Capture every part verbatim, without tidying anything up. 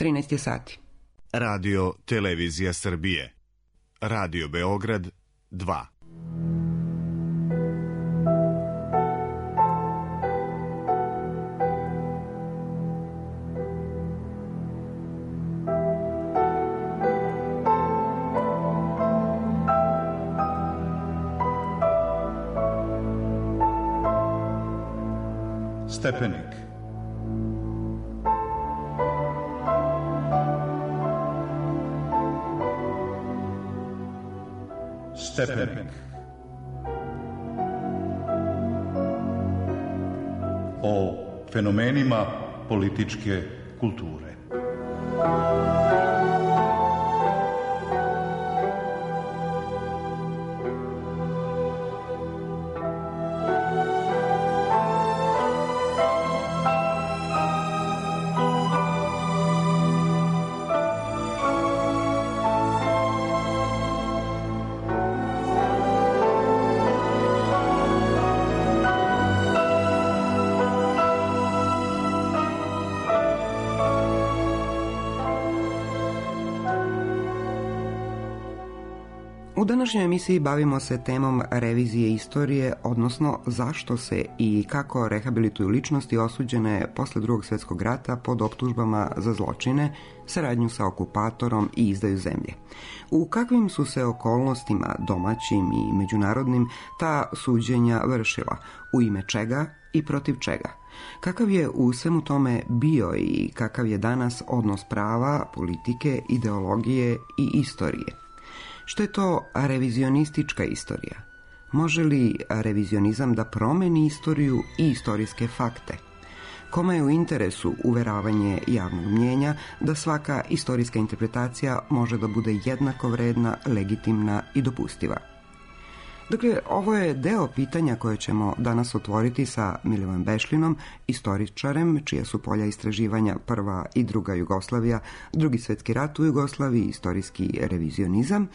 trinaest je sati. Radio Televizija Srbije. Radio Beograd dva. Stepenik. Stepenik. O fenomenima političke kulture. U današnjoj emisiji bavimo se temom revizije istorije, odnosno zašto se i kako rehabilituju ličnosti osuđene posle Drugog svjetskog rata pod optužbama za zločine, saradnju sa okupatorom i izdaju zemlje. U kakvim su se okolnostima, domaćim i međunarodnim, ta suđenja vršila, u ime čega i protiv čega? Kakav je u svemu tome bio i kakav je danas odnos prava, politike, ideologije i istorije? Što je to revizionistička istorija? Može li revizionizam da promeni istoriju i istorijske fakte? Kome je u interesu uveravanje javnog mnjenja da svaka istorijska interpretacija može da bude jednako vredna, legitimna i dopustiva? Dakle, ovo je deo pitanja koje ćemo danas otvoriti sa Milivojem Bešlinom, istoričarem, čija su polja istraživanja prva i druga Jugoslavija, Drugi svjetski rat u Jugoslaviji, istorijski revizionizam,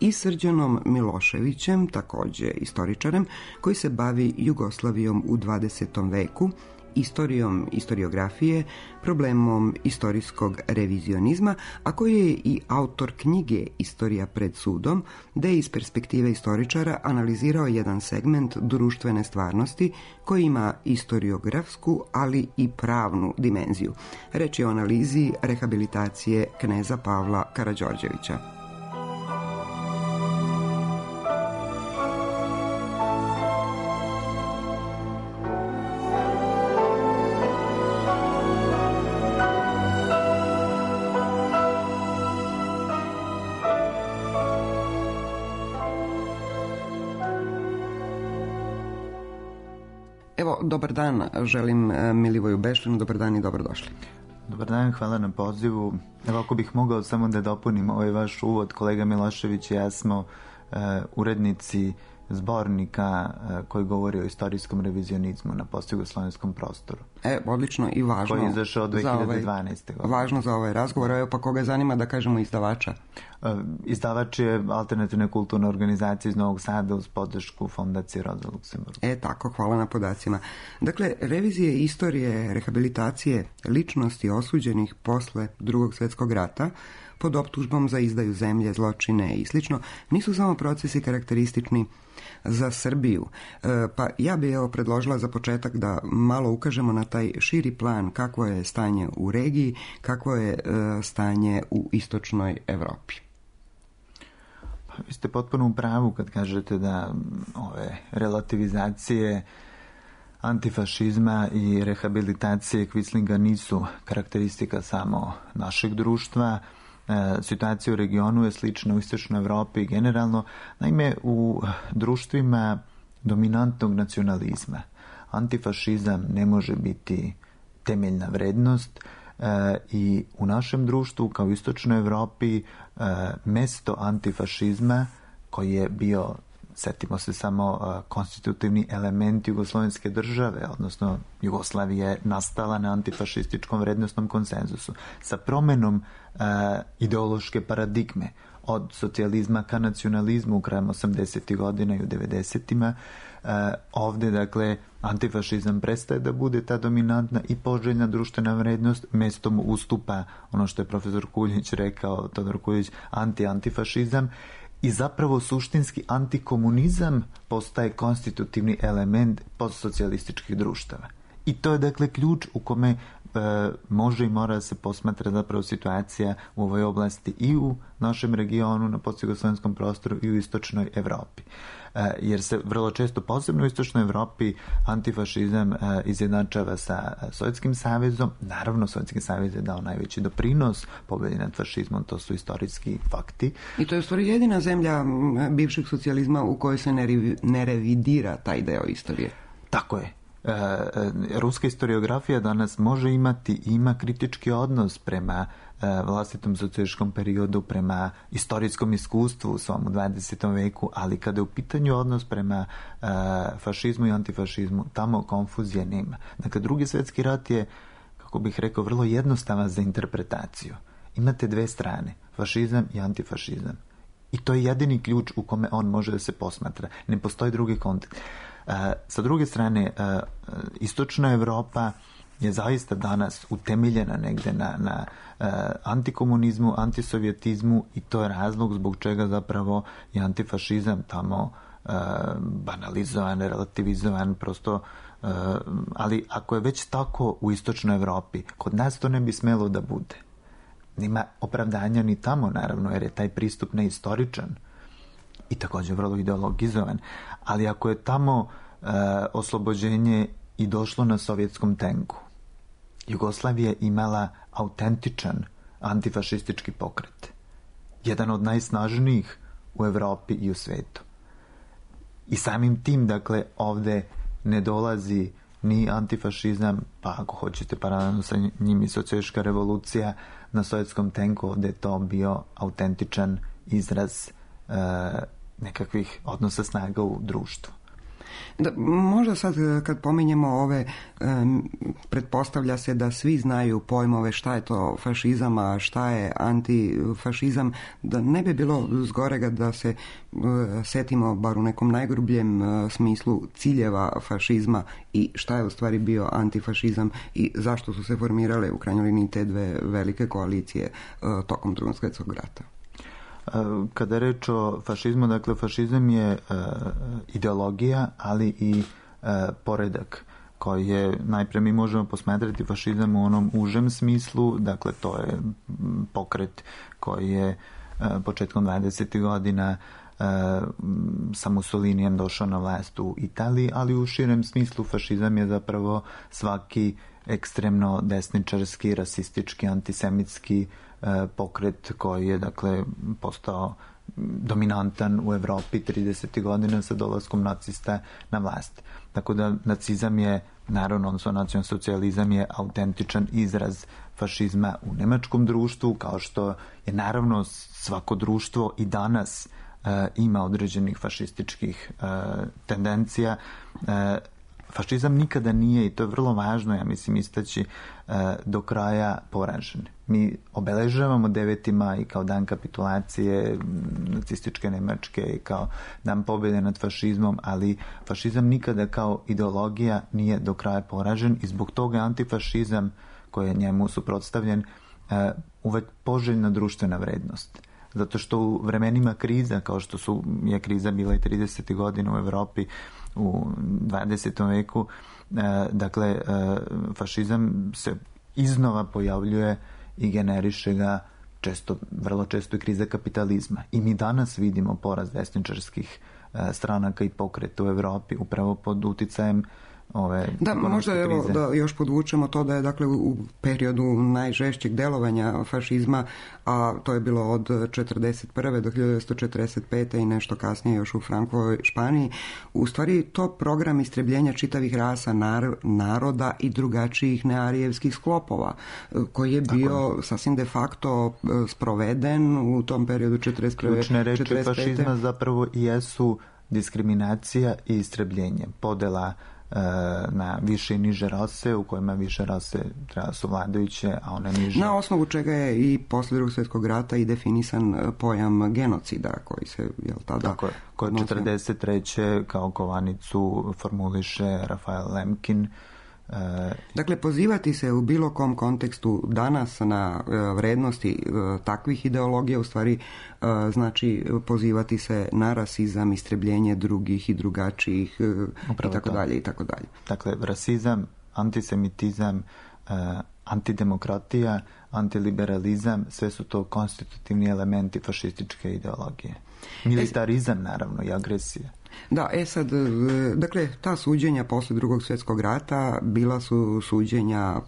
i Srđanom Miloševićem, također istoričarem, koji se bavi Jugoslavijom u dvadesetom veku, istorijom istoriografije, problemom istorijskog revizionizma, a koji je i autor knjige Istorija pred sudom, da je iz perspektive istoričara analizirao jedan segment društvene stvarnosti koji ima istoriografsku, ali i pravnu dimenziju. Reč je o analizi rehabilitacije kneza Pavla Karađorđevića. Evo, dobar dan, želim Milivoju Bešlinu, dobar dan i dobrodošli. Dobar dan, hvala na pozivu. Evo, ako bih mogao samo da dopunim ovaj vaš uvod, kolega Milošević i ja smo uh, urednici zbornika uh, koji govori o istorijskom revizionizmu na postjugoslovenskom prostoru. E, odlično i važno. Koji je izašao dve hiljade dvanaeste. Ovaj, važno za ovaj razgovor. Evo, pa koga zanima da kažemo izdavača? Uh, izdavač je Alternativne kulturne organizacije iz Novog Sada uz podršku Fondacije Roza Luksemburg. E, tako, hvala na podacima. Dakle, revizije istorije, rehabilitacije ličnosti osuđenih posle Drugog svjetskog rata pod optužbom za izdaju zemlje, zločine i slično, nisu samo procesi karakteristični za Srbiju. E, pa ja bih evo predložila za početak da malo ukažemo na taj širi plan kakvo je stanje u regiji, kakvo je e, stanje u istočnoj Evropi. Pa, vi ste potpuno u pravu kad kažete da ove relativizacije antifašizma i rehabilitacije Quislinga nisu karakteristika samo našeg društva. E, situacija u regionu je slična u istočnoj Evropi i generalno. Naime, u društvima dominantnog nacionalizma antifašizam ne može biti temeljna vrednost e, i u našem društvu kao u istočnoj Evropi e, mesto antifašizma koji je bio Setimo se samo konstitutivni element jugoslovenske države, odnosno Jugoslavija je nastala na antifašističkom vrednostnom konsenzusu sa promenom uh, ideološke paradigme od socijalizma ka nacionalizmu krajem osamdesetih godina i u devedesetima. Uh, ovde, dakle, antifašizam prestaje da bude ta dominantna i poželjna društvena vrednost, mestom ustupa ono što je profesor Kuljić rekao, Todor Kuljić, anti-antifašizam, i zapravo suštinski antikomunizam postaje konstitutivni element postsocijalističkih društava. I to je, dakle, ključ u kome e, može i mora se posmatra zapravo situacija u ovoj oblasti i u našem regionu, na postjugoslovenskom prostoru i u istočnoj Evropi. E, jer se vrlo često, posebno u istočnoj Evropi, antifašizam e, izjednačava sa Sovjetskim savezom. Naravno, Sovjetski savez je dao najveći doprinos pobedi nad fašizmom, to su istorijski fakti. I to je u stvari jedina zemlja bivšeg socijalizma u kojoj se ne, revi, ne revidira taj deo istorije. Tako je. E, ruska historiografija danas može imati i ima kritički odnos prema e, vlastitom socijalističkom periodu, prema istorijskom iskustvu u svom dvadesetom veku, ali kada je u pitanju odnos prema e, fašizmu i antifašizmu, tamo konfuzije nema. Dakle, Drugi svjetski rat je, kako bih rekao, vrlo jednostavan za interpretaciju. Imate dve strane, fašizam i antifašizam. I to je jedini ključ u kome on može da se posmatra. Ne postoji drugi kontekst. Uh, sa druge strane, uh, istočna Evropa je zaista danas utemeljena negde na, na uh, antikomunizmu, antisovjetizmu, i to je razlog zbog čega zapravo je antifašizam tamo uh, banalizovan, relativizovan, prosto, uh, ali ako je već tako u istočnoj Evropi, kod nas to ne bi smelo da bude. Nema opravdanja ni tamo, naravno, jer je taj pristup neistoričan i također vrlo ideologizovan, ali ako je tamo e, oslobođenje i došlo na sovjetskom tenku, Jugoslavija je imala autentičan antifašistički pokret, jedan od najsnažnijih u Evropi i u svetu. I samim tim, dakle, ovde ne dolazi ni antifašizam, pa ako hoćete paralelno sa njim i socijalistička revolucija na sovjetskom tenku, ovde je to bio autentičan izraz e, nekakvih odnosa snaga u društvu. Da, možda sad kad pominjemo ove, um, pretpostavlja se da svi znaju pojmove šta je to fašizam, a šta je antifašizam, da ne bi bilo zgorega da se uh, setimo bar u nekom najgrubljem uh, smislu ciljeva fašizma i šta je u stvari bio antifašizam i zašto su se formirale u krajnjoj liniji te dve velike koalicije uh, tokom Drugog svjetskog rata. Kada je reč o fašizmu, dakle, fašizam je e, ideologija, ali i e, poredak koji je, najpre mi možemo posmatrati fašizam u onom užem smislu, dakle, to je pokret koji je e, početkom dvadesetih godina e, sa Mussolinijem došao na vlast u Italiji, ali u širem smislu fašizam je zapravo svaki ekstremno desničarski, rasistički, antisemitski pokret koji je, dakle, postao dominantan u Evropi tridesetih godina sa dolaskom nacista na vlast. Tako da nacizam je, naravno, odnosno nacionalsocijalizam je autentičan izraz fašizma u nemačkom društvu, kao što je, naravno, svako društvo i danas e, ima određenih fašističkih e, tendencija. E, fašizam nikada nije, i to je vrlo važno, ja mislim, istaći, do kraja poražen. Mi obeležavamo deveti maj kao dan kapitulacije nacističke Nemačke i kao dan pobjede nad fašizmom, ali fašizam nikada kao ideologija nije do kraja poražen i zbog toga antifašizam koji je njemu suprotstavljen uvek poželjna društvena vrednost. Zato što u vremenima kriza, kao što su, je kriza bila i tridesetih godina u Evropi, u dvadesetom veku, e, dakle, e, fašizam se iznova pojavljuje i generiše ga često, vrlo često i kriza kapitalizma. I mi danas vidimo porast desničarskih e, stranaka i pokreta u Evropi upravo pod uticajem ove da, možda evo krize. Da još podvučemo to da je, dakle, u periodu najžešćeg delovanja fašizma, a to je bilo od četrdeset prve do hiljadu devetsto četrdeset pete i nešto kasnije još u Frankovoj Španiji, u stvari to program istrebljenja čitavih rasa, nar, naroda i drugačijih nearijevskih sklopova, koji je bio Tako. sasvim de facto sproveden u tom periodu četrdeset prve. Ključne reči fašizma zapravo i jesu diskriminacija i istrebljenje, podela na više i niže rase, u kojima više rase treba su vladajuće, a one niže. Na osnovu čega je i posle Drugog svjetskog rata i definisan pojam genocida koji se, jel tada... Tako je, kod četrdeset treće kao kovanicu formuliše Rafael Lemkin. Dakle, pozivati se u bilo kom kontekstu danas na vrednosti takvih ideologija u stvari znači pozivati se na rasizam, istrebljenje drugih i drugačijih i tako dalje i tako dalje. Dakle, rasizam, antisemitizam, antidemokratija, antiliberalizam, sve su to konstitutivni elementi fašističke ideologije. Militarizam, naravno, i agresija. Da, e sad, dakle, ta suđenja posle Drugog svjetskog rata bila su suđenja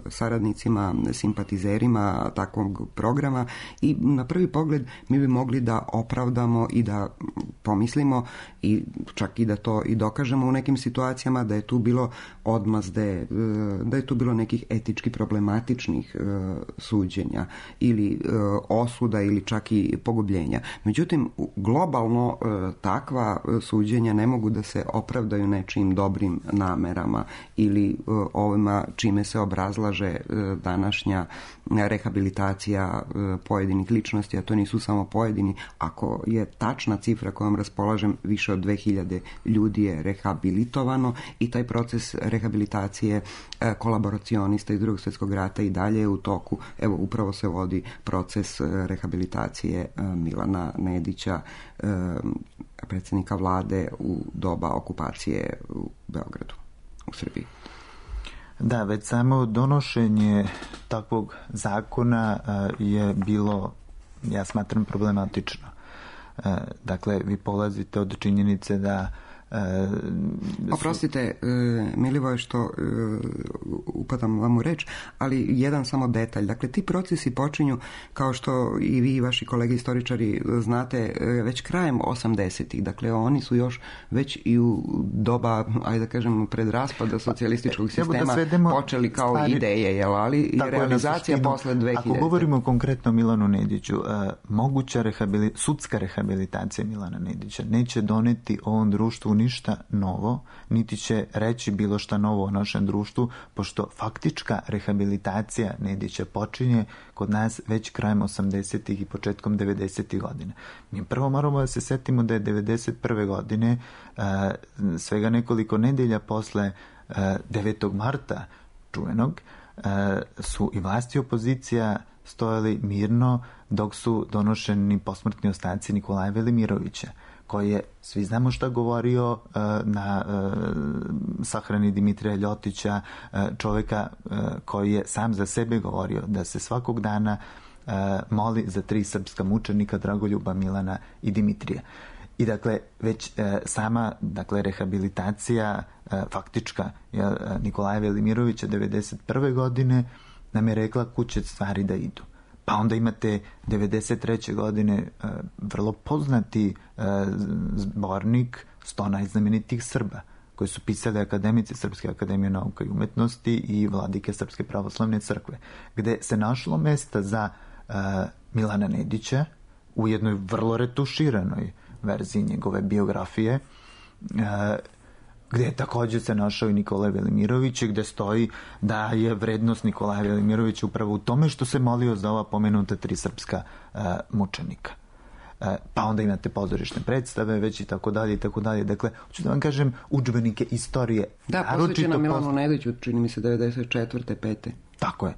saradnicima, simpatizerima takvog programa i na prvi pogled mi bi mogli da opravdamo i da pomislimo i čak i da to i dokažemo u nekim situacijama da je tu bilo odmazde, da je tu bilo nekih etički problematičnih suđenja ili osuda ili čak i pogubljenja. Međutim, globalno takva suđenja ne mogu da se opravdaju nečijim dobrim namerama ili uh, ovima čime se obrazlaže uh, današnja rehabilitacija uh, pojedinih ličnosti, a to nisu samo pojedini. Ako je tačna cifra kojom raspolažem, više od dve hiljade ljudi je rehabilitovano i taj proces rehabilitacije uh, kolaboracionista iz Drugog svjetskog rata i dalje je u toku. Evo, upravo se vodi proces uh, rehabilitacije uh, Milana Nedića, uh, predsjednika vlade u doba okupacije u Beogradu, u Srbiji. Da, već samo donošenje takvog zakona je bilo, ja smatram, problematično. Dakle, vi polazite od činjenice da Oprostite, Milivoje, što upadam vam u reč, ali jedan samo detalj. Dakle, ti procesi počinju, kao što i vi i vaši kolege istoričari znate, već krajem osamdesetih. Dakle, oni su još već i u doba, ajde da kažem, pred raspada socijalističkog sistema da počeli kao stvari, ideje, jel, ali i realizacija posle dve hiljade. Ako govorimo konkretno o Milanu Nediću, moguća rehabilit, sudska rehabilitacija Milana Nedića neće doneti ovom društvu ništa novo, niti će reći bilo šta novo o našem društvu, pošto faktička rehabilitacija Nedića počinje kod nas već krajem osamdesetih i početkom devedesetih godina. Mi prvo moramo da se setimo da je devedeset prve godine, svega nekoliko nedelja posle devetog marta čuvenog, su i vlasti i opozicija stojali mirno dok su donošeni posmrtni ostaci Nikolaja Velimirovića, koji je, svi znamo šta govorio uh, na uh, sahrani Dimitrija Ljotića, uh, čovjeka uh, koji je sam za sebe govorio da se svakog dana uh, moli za tri srpska mučenika, Dragoljuba, Milana i Dimitrija. I dakle, već uh, sama dakle, rehabilitacija uh, faktička uh, Nikolaja Velimirovića devedeset prve godine nam je rekla kud će stvari da idu. Pa onda imate devedeset treće godine uh, vrlo poznati uh, zbornik sto najznamenitijih Srba, koji su pisali akademici Srpske akademije nauka i umetnosti i vladike Srpske pravoslavne crkve, gde se našlo mesta za uh, Milana Nedića u jednoj vrlo retuširanoj verziji njegove biografije, uh, gdje je također se našao i Nikolaj Velimirović, gdje stoji da je vrednost Nikolaja Velimirovića upravo u tome što se molio za ova pomenuta tri srpska uh, mučenika. Uh, pa onda imate pozorišne predstave, već i tako dalje i tako dalje. Dakle, hoću da vam kažem, udžbenike istorije. Da, posvećena Milanu Nediću, čini mi se devedeset četvrte pete Tako je.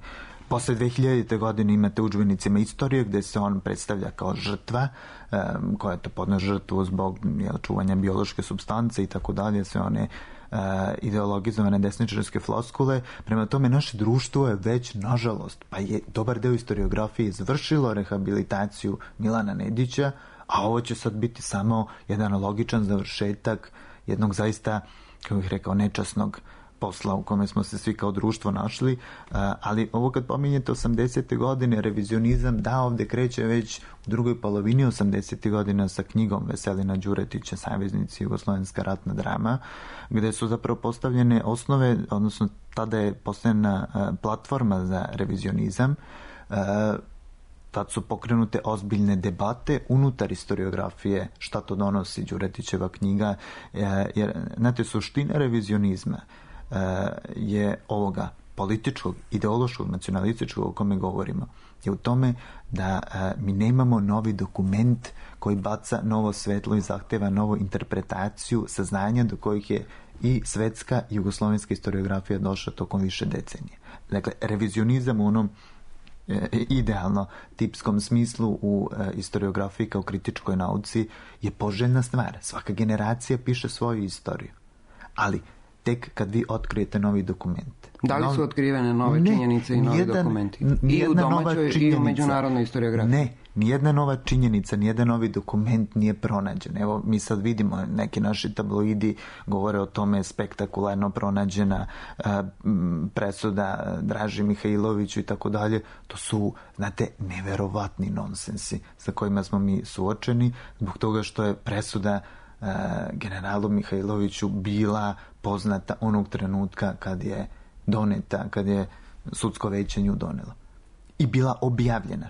Posle dve hiljadite godine imate udžbenicima istorije gdje se on predstavlja kao žrtva, um, koja je to podna žrtvu zbog jel, čuvanja biološke supstance i tako dalje, sve one uh, ideologizovane desničarske floskule. Prema tome, naše društvo je već, nažalost, pa je dobar deo istoriografije izvršilo rehabilitaciju Milana Nedića, a ovo će sad biti samo jedan logičan završetak jednog zaista, kako bih rekao, nečasnog posla u kome smo se svi kao društvo našli, ali ovo kad pominjete osamdesete godine, revizionizam, da, ovdje kreće već u drugoj polovini osamdesetih godina sa knjigom Veselina Đuretića Saveznici Jugoslovenska ratna drama, gdje su zapravo postavljene osnove, odnosno tada je postavljena platforma za revizionizam, Tad su pokrenute ozbiljne debate unutar historiografije, šta to donosi Đuretićeva knjiga, jer, znate, suština revizionizma je ovoga političkog, ideološkog, nacionalističkog o kome govorimo, je u tome da mi nemamo novi dokument koji baca novo svetlo i zahteva novu interpretaciju saznanja do kojih je i svetska i jugoslovenska historiografija došla tokom više decenije. Dakle, revizionizam u onom idealno tipskom smislu u historiografiji kao kritičkoj nauci je poželjna stvar. Svaka generacija piše svoju istoriju. Ali tek kad vi otkrijete novi dokument. Da li su otkrivene nove ne, činjenice i novi nijedan, dokumenti? I u domaćoj i u međunarodnoj historiografiji? Ne, nijedna nova činjenica, nijedan novi dokument nije pronađen. Evo, mi sad vidimo, neki naši tabloidi govore o tome spektakularno pronađena a, presuda Draži Mihajloviću i tako dalje. To su, znate, neverovatni nonsensi sa kojima smo mi suočeni, zbog toga što je presuda generalu Mihajloviću bila poznata onog trenutka kad je doneta, kad je sudsko veće nju donelo. I bila objavljena.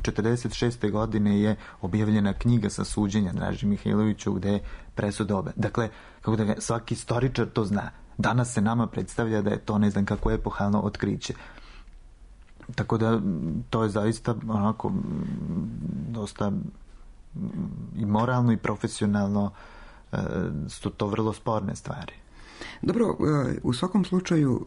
četrdeset šeste godine je objavljena knjiga sa suđenja Draži Mihajloviću gde je presuda obe. Dakle, kako da ga, svaki istoričar to zna. Danas se nama predstavlja da je to ne znam kako epohalno otkriće. Tako da to je zaista onako dosta i moralno i profesionalno su to vrlo sporne stvari. Dobro, u svakom slučaju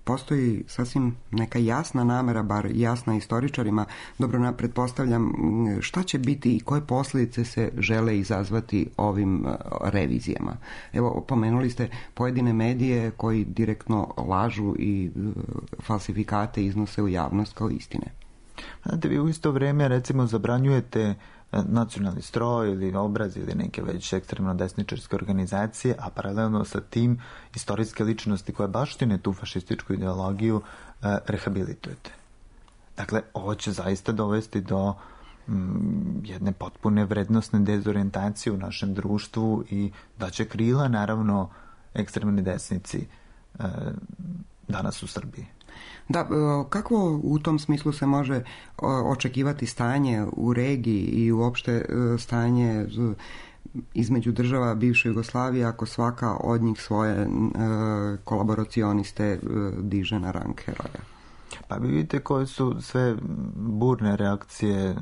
postoji sasvim neka jasna namera, bar jasna istoričarima. Dobro, pretpostavljam šta će biti i koje posljedice se žele izazvati ovim revizijama. Evo, pomenuli ste pojedine medije koji direktno lažu i falsifikate iznose u javnost kao istine. Znate, vi u isto vrijeme recimo zabranjujete nacionalni stroj ili obraz ili neke već ekstremno desničarske organizacije, a paralelno sa tim istorijske ličnosti koje baštine tu fašističku ideologiju eh, rehabilitujete. Dakle, ovo će zaista dovesti do mm, jedne potpune vrednostne dezorientacije u našem društvu i da će krila, naravno, ekstremni desnici eh, danas u Srbiji. Da, kako u tom smislu se može očekivati stanje u regiji i uopšte stanje između država bivše Jugoslavije ako svaka od njih svoje kolaboracioniste diže na rang heroja? Pa vi vidite koje su sve burne reakcije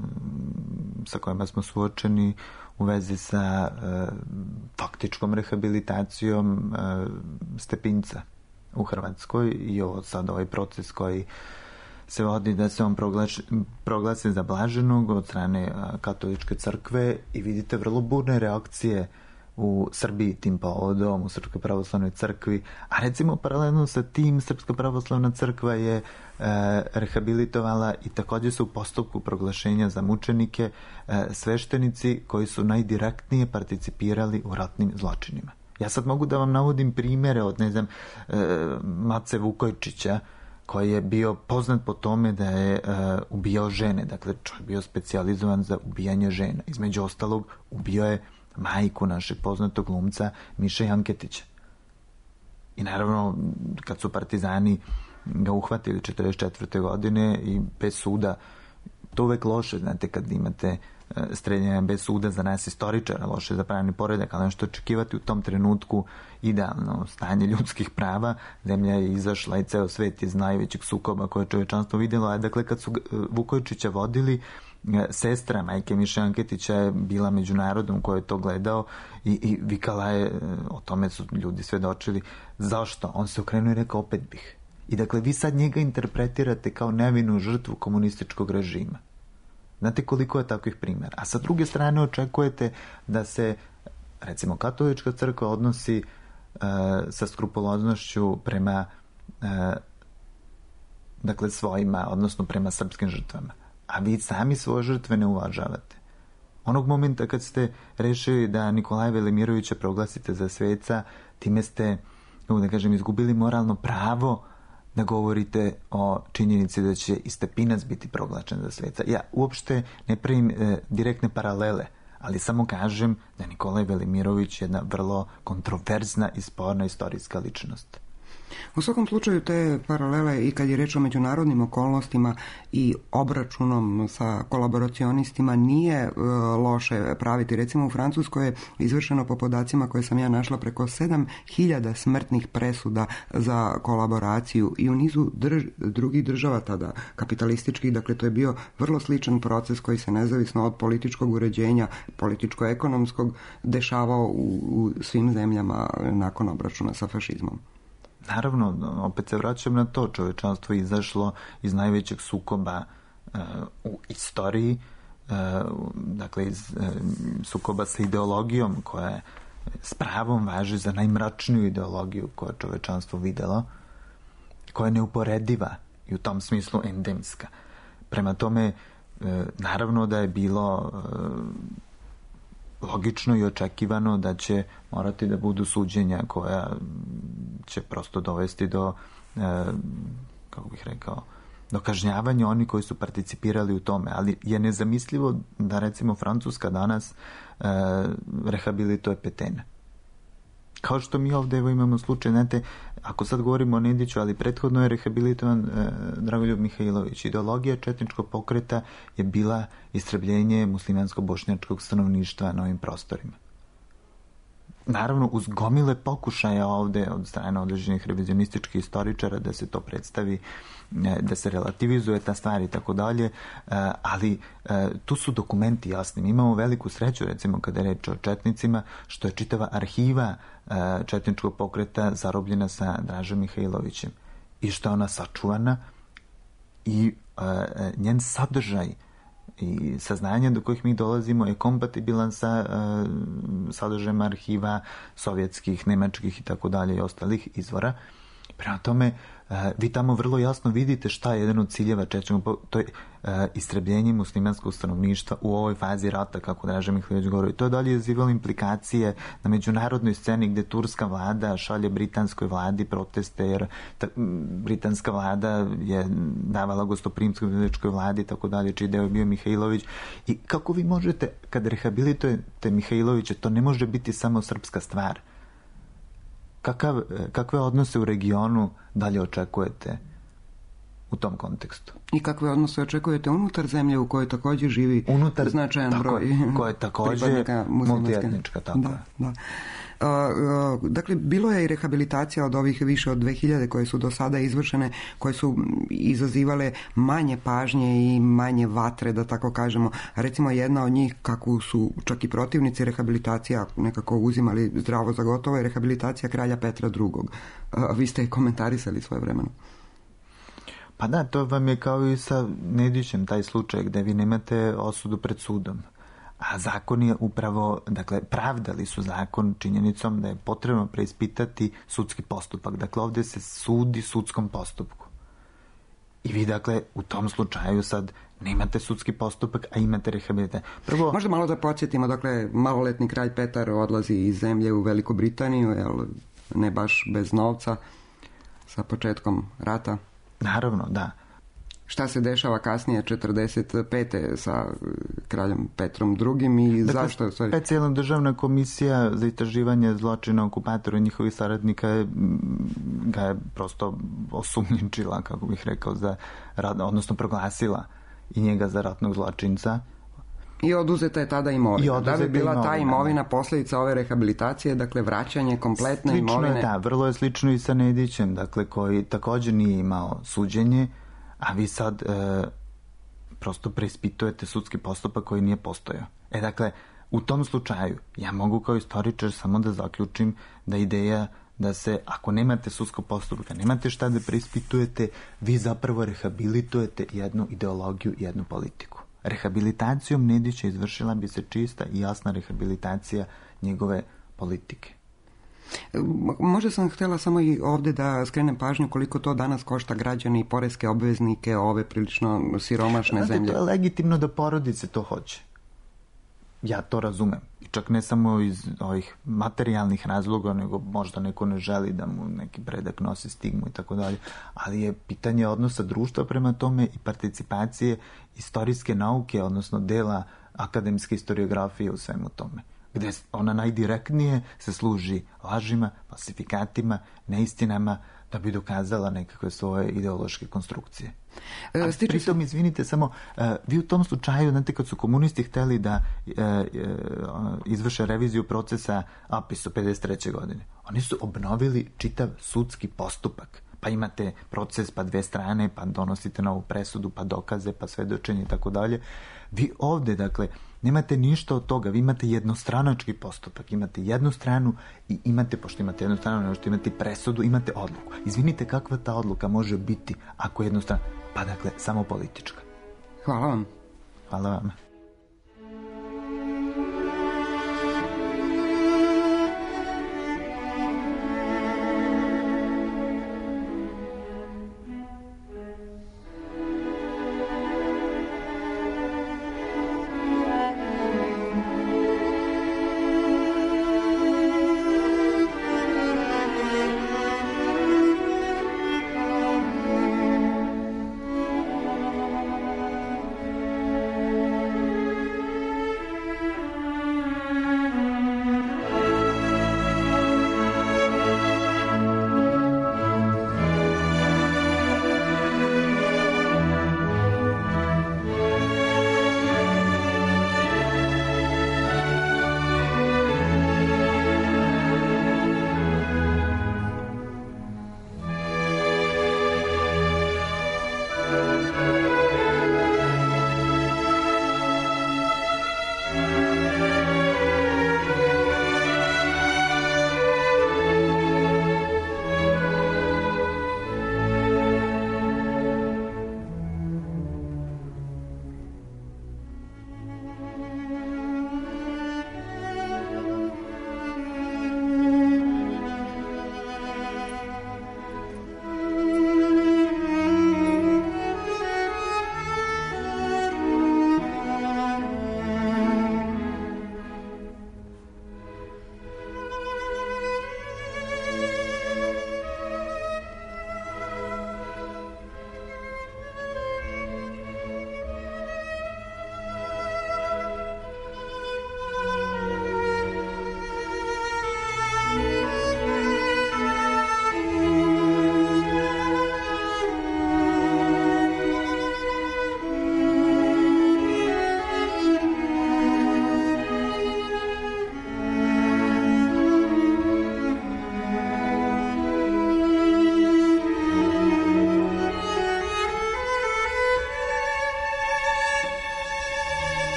sa kojima smo suočeni u vezi sa e, faktičkom rehabilitacijom e, Stepinca u Hrvatskoj i ovo sad ovaj proces koji se vodi da se on proglasi, proglasi za blaženog od strane katoličke crkve i vidite vrlo burne reakcije u Srbiji tim povodom, u Srpskoj pravoslavnoj crkvi, a recimo paralelno sa tim Srpska pravoslavna crkva je e, rehabilitovala i također su u postupku proglašenja za mučenike e, sveštenici koji su najdirektnije participirali u ratnim zločinima. Ja sad mogu da vam navodim primjere od, ne znam, e, Mace Vukojčića, koji je bio poznat po tome da je e, ubijao žene. Dakle, čovjek bio specijalizovan za ubijanje žena. Između ostalog, ubio je majku našeg poznatog glumca Miše Janketića. I naravno, kad su partizani ga uhvatili četrdeset četvrte godine i bez suda, to uvek loše, znate, kad imate streljanja bez suda za nas istoričara, loše za pravni poredak, ali nešto očekivati u tom trenutku idealno stanje ljudskih prava. Zemlja je izašla i ceo svet iz najvećeg sukoba koje je čovječanstvo vidjelo. A dakle, kad su Vukojčića vodili, sestra majke Miše Anketića je bila među narodom koji je to gledao i, i vikala je, o tome su ljudi svedočili, zašto? On se okrenuo i rekao, opet bih. I dakle, vi sad njega interpretirate kao nevinu žrtvu komunističkog režima. Znate koliko je takvih primjera. A sa druge strane očekujete da se, recimo, katolička crkva odnosi e, sa skrupuloznošću prema e, dakle svojima, odnosno prema srpskim žrtvama. A vi sami svoje žrtve ne uvažavate. Onog momenta kad ste rešili da Nikolaja Velimirovića proglasite za sveca, time ste, kako da kažem, izgubili moralno pravo da govorite o činjenici da će i Stepinac biti proglašen za sveca. Ja uopšte ne pravim e, direktne paralele, ali samo kažem da je Nikolaj Velimirović jedna vrlo kontroverzna i sporna istorijska ličnost. U svakom slučaju te paralele i kad je reč o međunarodnim okolnostima i obračunom sa kolaboracionistima nije e, loše praviti. Recimo u Francuskoj je izvršeno po podacima koje sam ja našla preko sedam hiljada smrtnih presuda za kolaboraciju i u nizu drž, drugih država tada kapitalističkih, dakle to je bio vrlo sličan proces koji se nezavisno od političkog uređenja, političko-ekonomskog dešavao u, u svim zemljama nakon obračuna sa fašizmom. Naravno, opet se vraćam na to, čovječanstvo je izašlo iz najvećeg sukoba uh, u istoriji, uh, dakle iz uh, sukoba sa ideologijom koja je s pravom važi za najmračniju ideologiju koju je čovječanstvo videlo, koja je neuporediva i u tom smislu endemska. Prema tome, uh, naravno da je bilo uh, logično i očekivano da će morati da budu suđenja koja će prosto dovesti do, e, kako bih rekao, do kažnjavanja oni koji su participirali u tome. Ali je nezamislivo da recimo Francuska danas e, rehabilituje Petena. Kao što mi ovdje evo imamo slučaj, znate, ako sad govorimo o Nediću, ali prethodno je rehabilitovan e, Dragoljub Mihajlović. Ideologija četničkog pokreta je bila istrebljenje muslimansko-bošnjačkog stanovništva na ovim prostorima. Naravno, uz gomile pokušaja ovde od strane određenih revizionističkih istoričara da se to predstavi, da se relativizuje ta stvar i tako dalje, ali tu su dokumenti jasni. Mi imamo veliku sreću, recimo, kada je reč o četnicima, što je čitava arhiva četničkog pokreta zarobljena sa Dražom Mihajlovićem i što je ona sačuvana i njen sadržaj i saznanja do kojih mi dolazimo je kompatibilan sa uh, sadržajem arhiva sovjetskih, nemačkih i tako dalje i ostalih izvora. Prema tome, uh, vi tamo vrlo jasno vidite šta je jedan od ciljeva četničkog, to je uh, istrebljenje muslimanskog stanovništva u ovoj fazi rata, kako Draža Mihajlović govori. To je dalje izazivalo implikacije na međunarodnoj sceni gde turska vlada šalje britanskoj vladi proteste, jer ta, britanska vlada je davala gostoprimskoj britanskoj vladi i tako dalje, čiji deo je bio Mihajlović. I kako vi možete, kad rehabilitujete Mihajlovića, to ne može biti samo srpska stvar. Kakav, kakve odnose u regionu dalje očekujete u tom kontekstu? I kakve odnose očekujete unutar zemlje u kojoj također živi unutar, značajan tako, broj koja je također multietnička, tako da, je. Da. Uh, uh, dakle, bilo je i rehabilitacija od ovih više od dve hiljade koje su do sada izvršene, koje su izazivale manje pažnje i manje vatre, da tako kažemo. Recimo, jedna od njih, kako su čak i protivnici rehabilitacija nekako uzimali zdravo za gotovo, je rehabilitacija kralja Petra drugog. Uh, vi ste komentarisali svoje vremeno. Pa da, to vam je kao i sa Nedićem, taj slučaj gde vi nemate osudu pred sudom. A zakon je upravo, dakle, pravdali su zakon činjenicom da je potrebno preispitati sudski postupak. Dakle, ovdje se sudi sudskom postupku. I vi, dakle, u tom slučaju sad nemate sudski postupak, a imate rehabilitaciju. Prvo... Možda malo da podsjetimo, dakle, maloletni kralj Petar odlazi iz zemlje u Veliku Britaniju, jel, ne baš bez novca, sa početkom rata. Naravno, da. Šta se dešava kasnije četrdeset pete sa kraljem Petrom drugim i dakle, zašto? Specijalna državna komisija za istraživanje zločina okupatora i njihovih saradnika ga je prosto osumnjičila, kako bih rekao, za rad, odnosno proglasila i njega za ratnog zločinca. I oduzeta je tada imovina. Da bi bila imovina, ta imovina posljedica ove rehabilitacije, dakle vraćanje kompletne slično imovine? Je, da, vrlo je slično i sa Nedićem, dakle, koji također nije imao suđenje, a vi sad e, prosto preispitujete sudski postupak koji nije postojao. E, dakle, u tom slučaju ja mogu kao istoričar samo da zaključim da ideja da se, ako nemate sudskog postupka, nemate šta da preispitujete, vi zapravo rehabilitujete jednu ideologiju, jednu politiku. Rehabilitacijom Nedića izvršila bi se čista i jasna rehabilitacija njegove politike. Možda sam htjela samo i ovdje da skrenem pažnju koliko to danas košta građane i poreske obveznike ove prilično siromašne Znate, zemlje. To je legitimno da porodice to hoće. Ja to razumem. I čak ne samo iz ovih materijalnih razloga, nego možda neko ne želi da mu neki predak nosi stigmu i tako dalje. Ali je pitanje odnosa društva prema tome i participacije istorijske nauke, odnosno dela akademske historiografije u svemu tome. Gde ona najdirektnije se služi lažima, falsifikatima, neistinama, da bi dokazala nekakve svoje ideološke konstrukcije. A Stiče pritom, se... izvinite, samo, uh, vi u tom slučaju, znate, kad su komunisti hteli da uh, uh, izvrše reviziju procesa Apisu pedeset treće godine, oni su obnovili čitav sudski postupak. Pa imate proces, pa dve strane, pa donosite novu presudu, pa dokaze, pa svedočenje i tako dalje. Vi ovde, dakle, nemate ništa od toga. Vi imate jednostranački postupak. Imate jednu stranu i imate, pošto imate jednu stranu, možete imati presudu, imate odluku. Izvinite, kakva ta odluka može biti ako je jednostrana? Pa dakle, samo politička. Hvala vam. Hvala vam.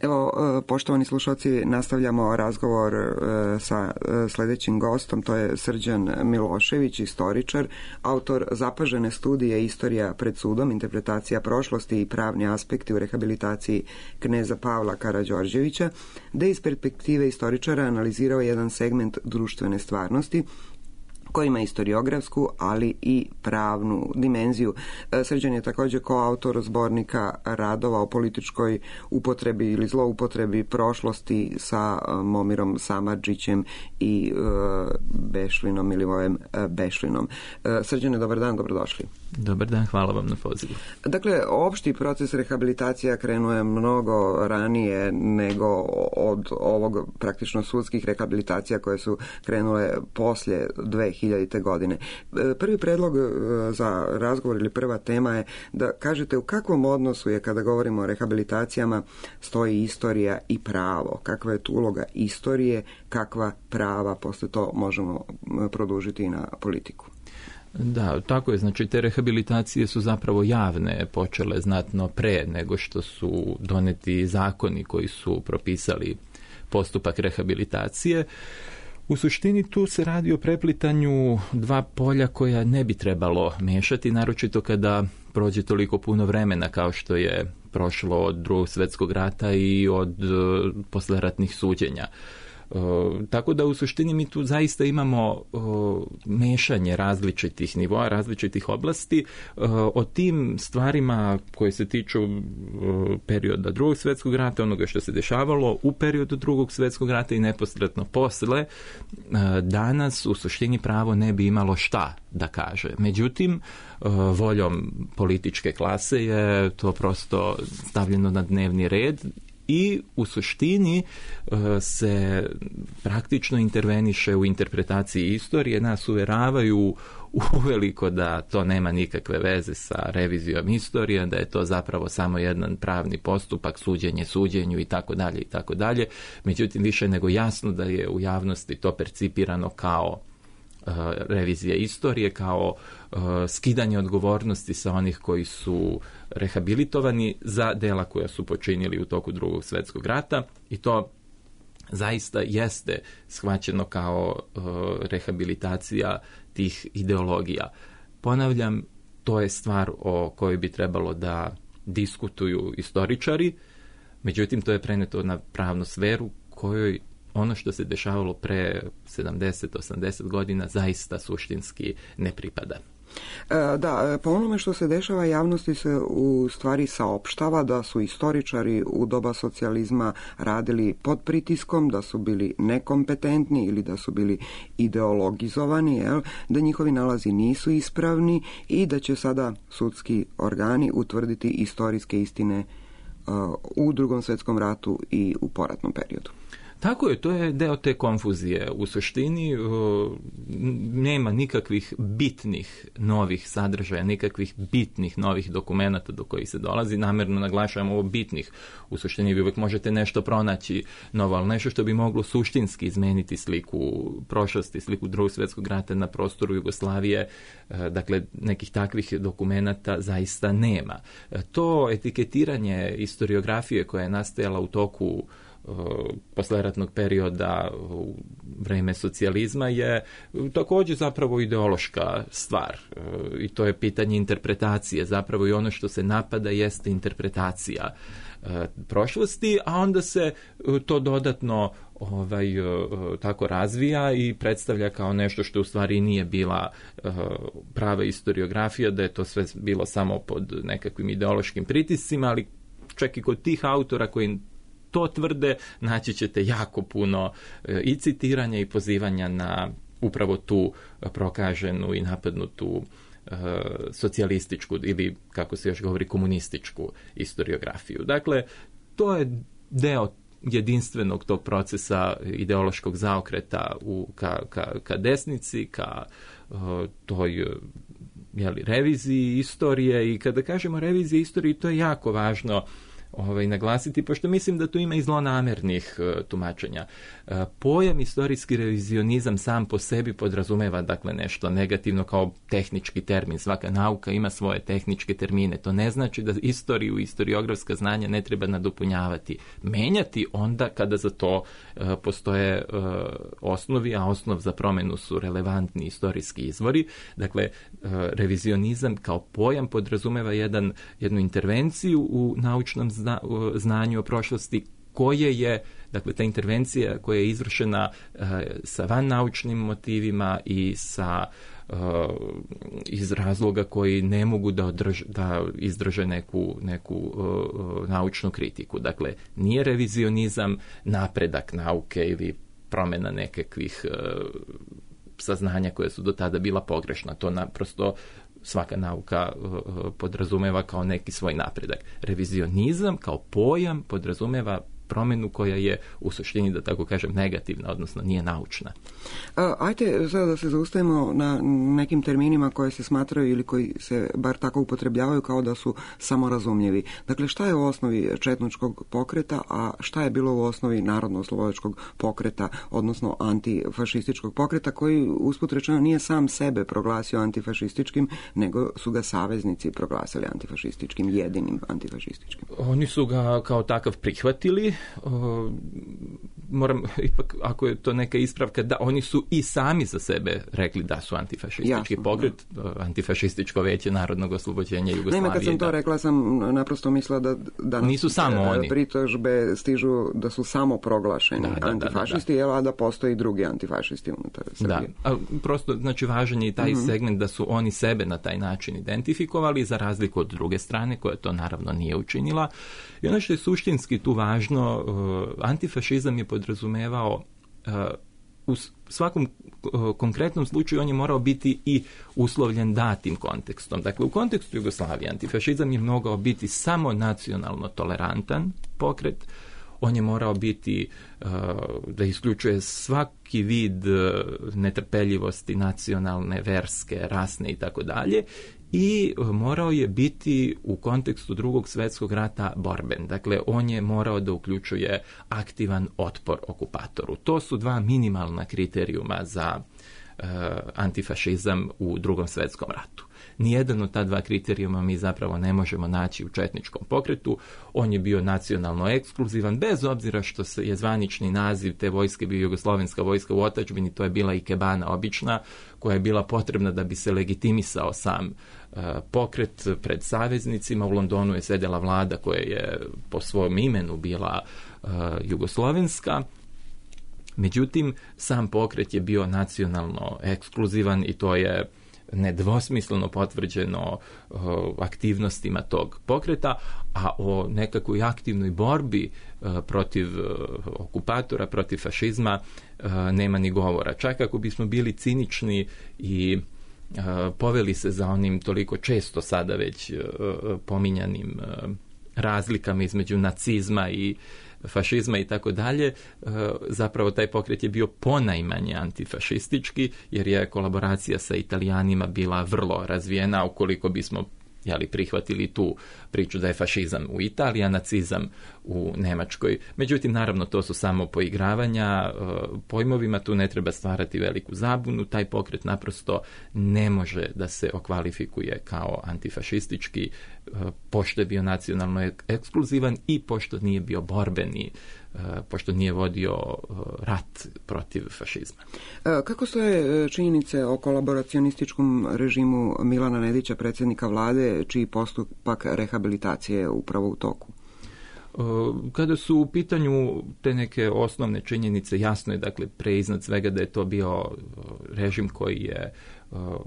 Evo, poštovani slušalci, nastavljamo razgovor sa sljedećim gostom, to je Srđan Milošević, istoričar, autor zapažene studije Istorija pred sudom, interpretacija prošlosti i pravni aspekti u rehabilitaciji kneza Pavla Karađorđevića, gde iz perspektive istoričara analizirao jedan segment društvene stvarnosti koji ima historiografsku, ali i pravnu dimenziju. Srđan je također koautor zbornika radova o političkoj upotrebi ili zloupotrebi prošlosti sa Momirom Samardžićem i Bešlinom ili ovim Bešlinom. Srđane, dobar dan, dobrodošli. Dobar dan, hvala vam na pozivu. Dakle, opšti proces rehabilitacija krenuo je mnogo ranije nego od ovog praktično sudskih rehabilitacija koje su krenule poslije dve hiljadite. godine. Prvi predlog za razgovor ili prva tema je da kažete u kakvom odnosu je, kada govorimo o rehabilitacijama, stoji istorija i pravo. Kakva je tu uloga istorije, kakva prava, posle to možemo produžiti i na politiku. Da, tako je. Znači, te rehabilitacije su zapravo javne, počele znatno pre nego što su doneti zakoni koji su propisali postupak rehabilitacije. U suštini tu se radi o preplitanju dva polja koja ne bi trebalo miješati, naročito kada prođe toliko puno vremena kao što je prošlo od Drugog svjetskog rata i od posleratnih suđenja. Tako da u suštini mi tu zaista imamo mešanje različitih nivoa, različitih oblasti. O tim stvarima koje se tiču perioda drugog svjetskog rata, onoga što se dešavalo u periodu drugog svjetskog rata i neposredno posle, danas u suštini pravo ne bi imalo šta da kaže. Međutim, voljom političke klase je to prosto stavljeno na dnevni red i u suštini se praktično interveniše u interpretaciji istorije, nas uveravaju uveliko da to nema nikakve veze sa revizijom istorije, da je to zapravo samo jedan pravni postupak, suđenje suđenju i tako dalje i tako dalje. Međutim, više nego jasno da je u javnosti to percipirano kao revizija istorije, kao uh, skidanje odgovornosti sa onih koji su rehabilitovani za dela koja su počinili u toku drugog svjetskog rata i to zaista jeste shvaćeno kao uh, rehabilitacija tih ideologija. Ponavljam, to je stvar o kojoj bi trebalo da diskutuju istoričari, međutim to je preneto na pravnu sferu kojoj ono što se dešavalo pre sedamdeset osamdeset godina zaista suštinski ne pripada. Da, po onome što se dešava javnosti se u stvari saopštava da su istoričari u doba socijalizma radili pod pritiskom, da su bili nekompetentni ili da su bili ideologizovani, jel? Da njihovi nalazi nisu ispravni i da će sada sudski organi utvrditi istorijske istine uh, u drugom svjetskom ratu i u poratnom periodu. Tako je, to je deo te konfuzije. U suštini nema nikakvih bitnih novih sadržaja, nikakvih bitnih novih dokumenata do kojih se dolazi. Namjerno naglašavam ovo bitnih. U suštini vi uvijek možete nešto pronaći novo, ali nešto što bi moglo suštinski izmeniti sliku prošlosti, sliku drugog svjetskog rata na prostoru Jugoslavije. Dakle, nekih takvih dokumenata zaista nema. To etiketiranje historiografije koja je nastajala u toku posleratnog perioda u vreme socijalizma je također zapravo ideološka stvar i to je pitanje interpretacije. Zapravo i ono što se napada jeste interpretacija prošlosti, a onda se to dodatno ovaj, tako razvija i predstavlja kao nešto što u stvari nije bila prava historiografija, da je to sve bilo samo pod nekakvim ideološkim pritiscima, ali čak i kod tih autora koji to tvrde, naći ćete jako puno i citiranja i pozivanja na upravo tu prokaženu i napadnutu e, socijalističku ili, kako se još govori, komunističku historiografiju. Dakle, to je deo jedinstvenog tog procesa ideološkog zaokreta u, ka, ka, ka desnici, ka e, toj jeli, reviziji istorije i kada kažemo revizija istorije, to je jako važno Ovaj, naglasiti, pošto mislim da tu ima i zlonamernih uh, tumačenja. Uh, pojam istorijski revizionizam sam po sebi podrazumeva dakle nešto negativno kao tehnički termin. Svaka nauka ima svoje tehničke termine. To ne znači da istoriju i istoriografska znanja ne treba nadopunjavati. Menjati onda kada za to uh, postoje uh, osnovi, a osnov za promjenu su relevantni istorijski izvori. Dakle, uh, revizionizam kao pojam podrazumeva jedan, jednu intervenciju u naučnom Zna, znanju o prošlosti koje je, dakle ta intervencija koja je izvršena uh, sa vannaučnim motivima i sa uh, iz razloga koji ne mogu da, održ, da izdrže neku, neku uh, naučnu kritiku. Dakle, nije revizionizam napredak nauke ili promjena nekakvih uh, saznanja koje su do tada bila pogrešna. To naprosto svaka nauka uh, podrazumeva kao neki svoj napredak. Revizionizam kao pojam podrazumeva promjenu koja je u suštini, da tako kažem, negativna, odnosno nije naučna. A, ajte sada da se zaustavimo na nekim terminima koje se smatraju ili koji se bar tako upotrebljavaju kao da su samorazumljivi. Dakle, šta je u osnovi četničkog pokreta, a šta je bilo u osnovi narodno-oslobodačkog pokreta, odnosno antifašističkog pokreta, koji usput rečeno nije sam sebe proglasio antifašističkim, nego su ga saveznici proglasili antifašističkim, jedinim antifašističkim. Oni su ga kao takav prihvatili o, moram, ipak, ako je to neka ispravka, da oni su i sami za sebe rekli da su antifašistički Jasno, pokret, da. Antifašističko veće narodnog oslobođenja Jugoslavije. Naime, kad sam to da, rekla, sam naprosto mislila da danas nisu samo oni. Pritužbe stižu da su samo proglašeni da, da, antifašisti, da, da, da. a da postoji drugi antifašisti unutar Srbije. Da, a prosto, znači, važan je i taj mm-hmm. segment da su oni sebe na taj način identifikovali, za razliku od druge strane, koja to naravno nije učinila. I ono što je suštinski tu važno, uh, antifašizam je podrazumevao uh, u svakom uh, konkretnom slučaju on je morao biti i uslovljen datim kontekstom. Dakle, u kontekstu Jugoslavije antifašizam je mogao biti samo nacionalno tolerantan pokret, on je morao biti uh, da isključuje svaki vid uh, netrpeljivosti nacionalne, verske, rasne i tako dalje. I morao je biti u kontekstu Drugog svjetskog rata borben. Dakle, on je morao da uključuje aktivan otpor okupatoru. To su dva minimalna kriterijuma za uh, antifašizam u Drugom svjetskom ratu. Nijedan od ta dva kriterijuma mi zapravo ne možemo naći u četničkom pokretu. On je bio nacionalno ekskluzivan, bez obzira što se je zvanični naziv te vojske bio Jugoslovenska vojska u otadžbini, to je bila ikebana obična, koja je bila potrebna da bi se legitimisao sam uh, pokret pred saveznicima. U Londonu je sedela vlada koja je po svom imenu bila uh, jugoslovenska. Međutim, sam pokret je bio nacionalno ekskluzivan i to je nedvosmisleno potvrđeno uh, aktivnostima tog pokreta, a o nekakvoj aktivnoj borbi uh, protiv uh, okupatora, protiv fašizma uh, nema ni govora. Čak ako bismo bili cinični i uh, poveli se za onim toliko često sada već uh, pominjanim uh, razlikama između nacizma i fašizma i tako dalje, zapravo taj pokret je bio ponajmanje antifašistički, jer je kolaboracija sa Italijanima bila vrlo razvijena, ukoliko bismo jeli, prihvatili tu priču da je fašizam u Italiji, a nacizam u Nemačkoj. Međutim, naravno, to su samo poigravanja pojmovima, tu ne treba stvarati veliku zabunu, taj pokret naprosto ne može da se okvalifikuje kao antifašistički, pošto je bio nacionalno ekskluzivan i pošto nije bio borbeni, pošto nije vodio rat protiv fašizma. Kako stoje činjenice o kolaboracionističkom režimu Milana Nedića, predsjednika vlade, čiji postupak rehabilitacije je upravo u toku? Kada su u pitanju te neke osnovne činjenice, jasno je, dakle, pre iznad svega da je to bio režim koji je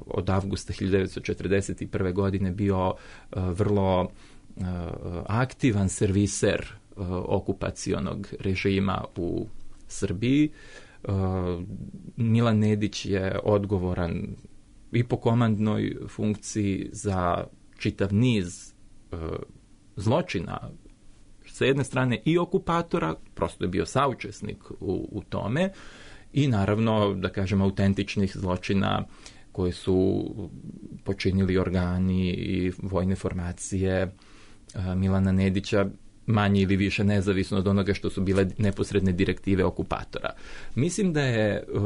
od avgusta hiljadu devetsto četrdeset prve. godine bio vrlo aktivan serviser okupacionog režima u Srbiji. Milan Nedić je odgovoran i po komandnoj funkciji za čitav niz zločina, sa jedne strane i okupatora, prosto je bio saučesnik u, u tome, i naravno, da kažem, autentičnih zločina koje su počinili organi i vojne formacije Milana Nedića, manje ili više nezavisno od onoga što su bile neposredne direktive okupatora. Mislim da je uh,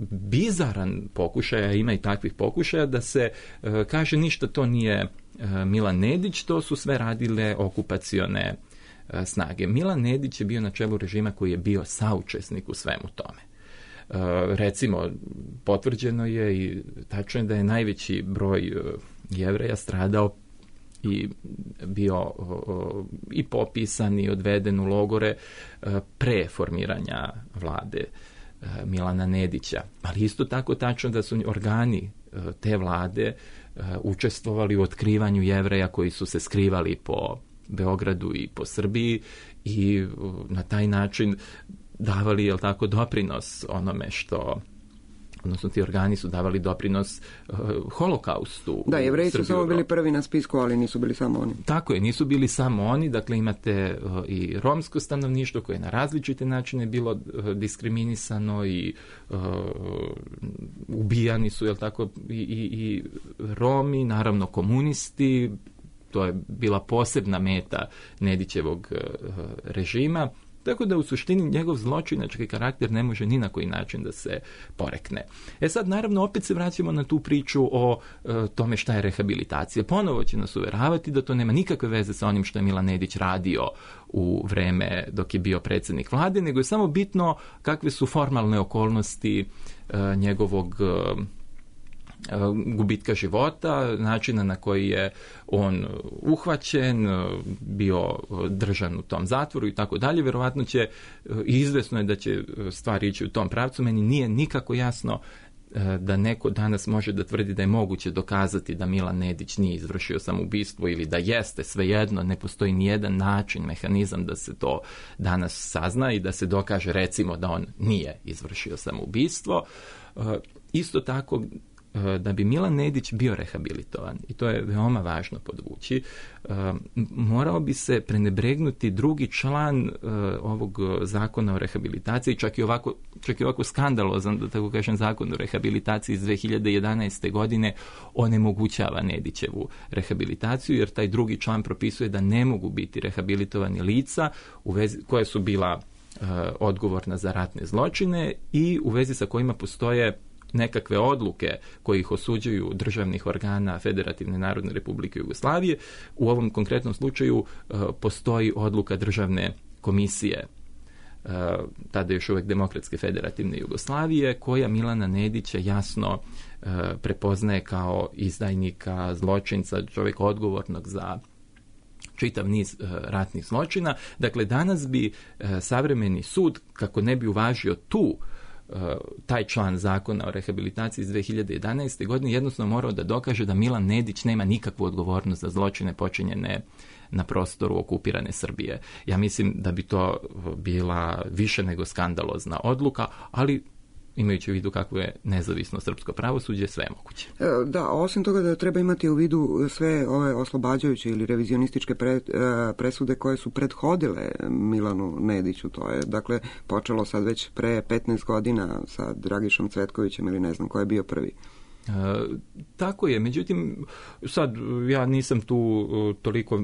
bizaran pokušaj, a ima i takvih pokušaja, da se uh, kaže ništa to nije uh, Milan Nedić, to su sve radile okupacione uh, snage. Milan Nedić je bio na čelu režima koji je bio saučesnik u svemu tome. Uh, recimo, potvrđeno je i tačno je da je najveći broj uh, Jevreja stradao i bio uh, i popisan i odveden u logore uh, pre formiranja vlade uh, Milana Nedića. Ali isto tako tačno da su organi uh, te vlade uh, učestvovali u otkrivanju Jevreja koji su se skrivali po Beogradu i po Srbiji i uh, na taj način davali, jel tako, doprinos onome što, odnosno ti organi su davali doprinos uh, holokaustu. Da, Jevreji su samo bili prvi na spisku, ali nisu bili samo oni. Tako je, nisu bili samo oni, dakle imate uh, i romsko stanovništvo koje je na različite načine bilo uh, diskriminisano i uh, ubijani su, jel tako, i, i, i Romi, naravno komunisti. To je bila posebna meta Nedićevog uh, režima. Tako da u suštini njegov zločinački karakter ne može ni na koji način da se porekne. E sad, naravno, opet se vraćamo na tu priču o e, tome šta je rehabilitacija. Ponovo će nas uveravati da to nema nikakve veze sa onim što je Milan Nedić radio u vreme dok je bio predsjednik vlade, nego je samo bitno kakve su formalne okolnosti e, njegovog e, gubitka života, načina na koji je on uhvaćen, bio držan u tom zatvoru i tako dalje. Vjerovatno će, i izvesno je da će stvari ići u tom pravcu. Meni nije nikako jasno da neko danas može da tvrdi da je moguće dokazati da Milan Nedić nije izvršio samoubistvo ili da jeste, svejedno, ne postoji nijedan način, mehanizam da se to danas sazna i da se dokaže, recimo, da on nije izvršio samoubistvo. Isto tako, da bi Milan Nedić bio rehabilitovan, i to je veoma važno podvući, morao bi se prenebregnuti drugi član ovog zakona o rehabilitaciji, čak i ovako, čak i ovako skandalozan, da tako kažem, zakon o rehabilitaciji iz dve hiljade jedanaeste. godine onemogućava Nedićevu rehabilitaciju, jer taj drugi član propisuje da ne mogu biti rehabilitovani lica u vezi, koje su bila odgovorna za ratne zločine i u vezi sa kojima postoje nekakve odluke koje ih osuđuju državnih organa Federativne Narodne Republike Jugoslavije. U ovom konkretnom slučaju uh, postoji odluka državne komisije, uh, tada još uvijek Demokratske Federativne Jugoslavije, koja Milana Nedića jasno uh, prepoznaje kao izdajnika, zločinca, čovjeka odgovornog za čitav niz uh, ratnih zločina. Dakle, danas bi uh, savremeni sud, kako ne bi uvažio tu taj član zakona o rehabilitaciji iz dve hiljade jedanaeste. godine, jednostavno morao da dokaže da Milan Nedić nema nikakvu odgovornost za zločine počinjene na prostoru okupirane Srbije. Ja mislim da bi to bila više nego skandalozna odluka, ali imajući u vidu kako je nezavisno srpsko pravosuđe, sve je moguće. Da, osim toga da treba imati u vidu sve ove oslobađajuće ili revizionističke pre, presude koje su prethodile Milanu Nediću. To je, dakle, počelo sad već pre petnaest godina sa Dragišom Cvetkovićem ili ne znam ko je bio prvi. E, tako je, međutim, sad ja nisam tu toliko,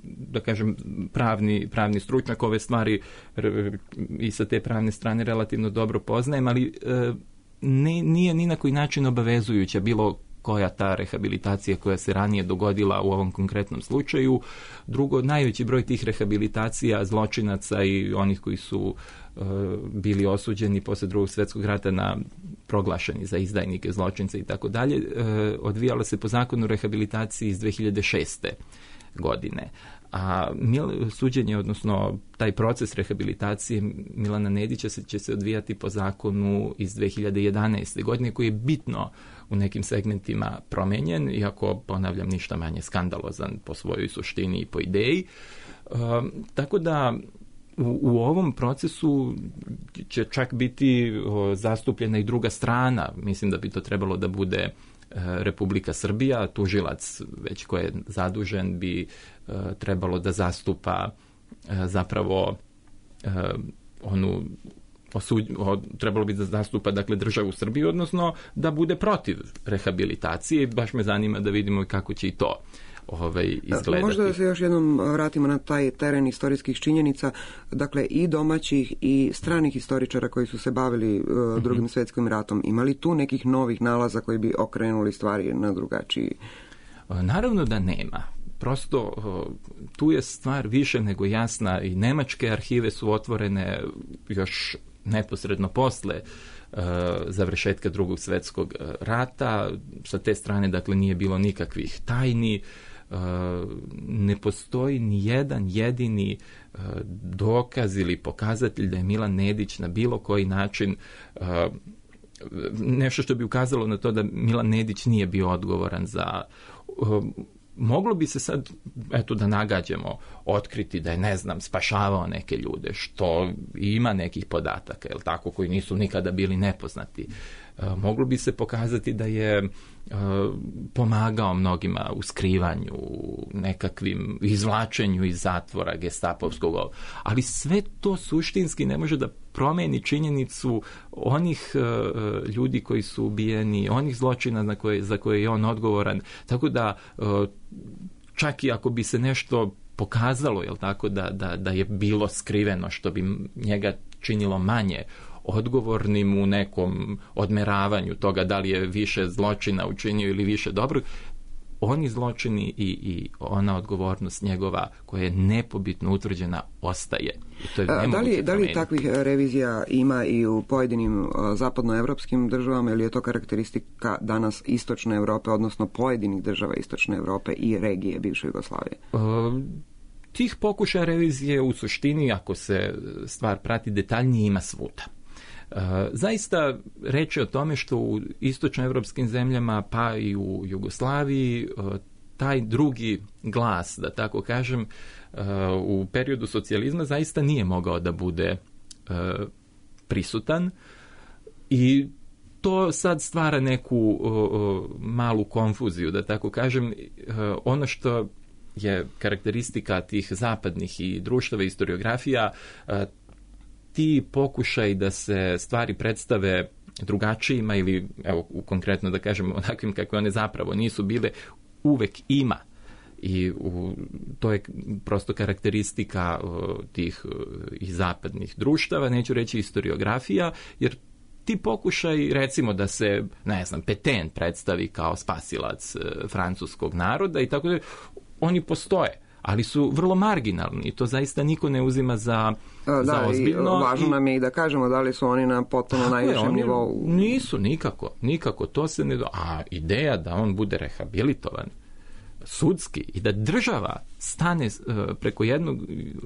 da kažem, pravni, pravni stručnjak, ove stvari i sa te pravne strane relativno dobro poznajem, ali e, ne, nije ni na koji način obavezujuća bilo koja ta rehabilitacija koja se ranije dogodila u ovom konkretnom slučaju. Drugo, najveći broj tih rehabilitacija zločinaca i onih koji su e, bili osuđeni posle Drugog svjetskog rata na proglašeni za izdajnike, zločince i tako dalje, odvijalo se po zakonu o rehabilitaciji iz dve hiljade šeste. godine. A mil, suđenje, odnosno taj proces rehabilitacije Milana Nedića se, će se odvijati po zakonu iz dve hiljade jedanaeste. godine, koji je bitno u nekim segmentima promenjen, iako, ponavljam, ništa manje skandalozan po svojoj suštini i po ideji. E, tako da u, u ovom procesu će čak biti o, zastupljena i druga strana. Mislim da bi to trebalo da bude Republika Srbija, tužilac već koji je zadužen bi e, trebalo da zastupa e, zapravo e, onu osuđ, o, trebalo bi da zastupa, dakle, državu Srbiju, odnosno da bude protiv rehabilitacije. Baš me zanima da vidimo kako će i to ovaj, izgledati. Možda da se još jednom vratimo na taj teren istorijskih činjenica, dakle i domaćih i stranih istoričara koji su se bavili uh, drugim mm-hmm. svjetskim ratom. Imali tu nekih novih nalaza koji bi okrenuli stvari na drugačiji? Naravno da nema. Prosto tu je stvar više nego jasna i nemačke arhive su otvorene još neposredno posle uh, završetka Drugog svjetskog rata. Sa te strane, dakle, nije bilo nikakvih tajni. Uh, ne postoji ni jedan jedini uh, dokaz ili pokazatelj da je Milan Nedić na bilo koji način uh, nešto što bi ukazalo na to da Milan Nedić nije bio odgovoran za... Uh, moglo bi se sad, eto, da nagađamo, otkriti da je, ne znam, spašavao neke ljude, što ima nekih podataka, jel tako, koji nisu nikada bili nepoznati. E, moglo bi se pokazati da je e, pomagao mnogima u skrivanju, nekakvim izvlačenju iz zatvora gestapovskog, ali sve to suštinski ne može da promeni činjenicu onih e, ljudi koji su ubijeni, onih zločina na koje, za koje je on odgovoran. Tako da e, čak i ako bi se nešto pokazalo, jel tako, da, da, da je bilo skriveno što bi njega činilo manje odgovornim u nekom odmeravanju toga da li je više zločina učinio ili više dobrog. Oni zločini i, i ona odgovornost njegova koja je nepobitno utvrđena ostaje. I to je da li, da li takvih revizija ima i u pojedinim zapadnoevropskim državama ili je to karakteristika danas istočne Europe, odnosno pojedinih država istočne Europe i regije bivše Jugoslavije? Uh, tih pokušaja revizije u suštini, ako se stvar prati detaljnije, ima svuda. Zaista reći o tome što u istočnoevropskim zemljama pa i u Jugoslaviji taj drugi glas, da tako kažem, u periodu socijalizma zaista nije mogao da bude prisutan i to sad stvara neku malu konfuziju, da tako kažem. Ono što je karakteristika tih zapadnih i društava historiografija, ti pokušaj da se stvari predstave drugačijima ili, evo, konkretno da kažem, onakvim kakve one zapravo nisu bile, uvek ima. I u, to je prosto karakteristika uh, tih uh, i zapadnih društava, neću reći historiografija, jer ti pokušaj, recimo da se, ne znam, Petain predstavi kao spasilac uh, francuskog naroda i tako da, oni postoje, ali su vrlo marginalni i to zaista niko ne uzima za, da, za ozbiljno. Da, važno i nam je i da kažemo da li su oni na potpuno najvišem nivou. Nisu, nikako, nikako, to se ne do... A ideja da on bude rehabilitovan sudski i da država stane uh, preko jednog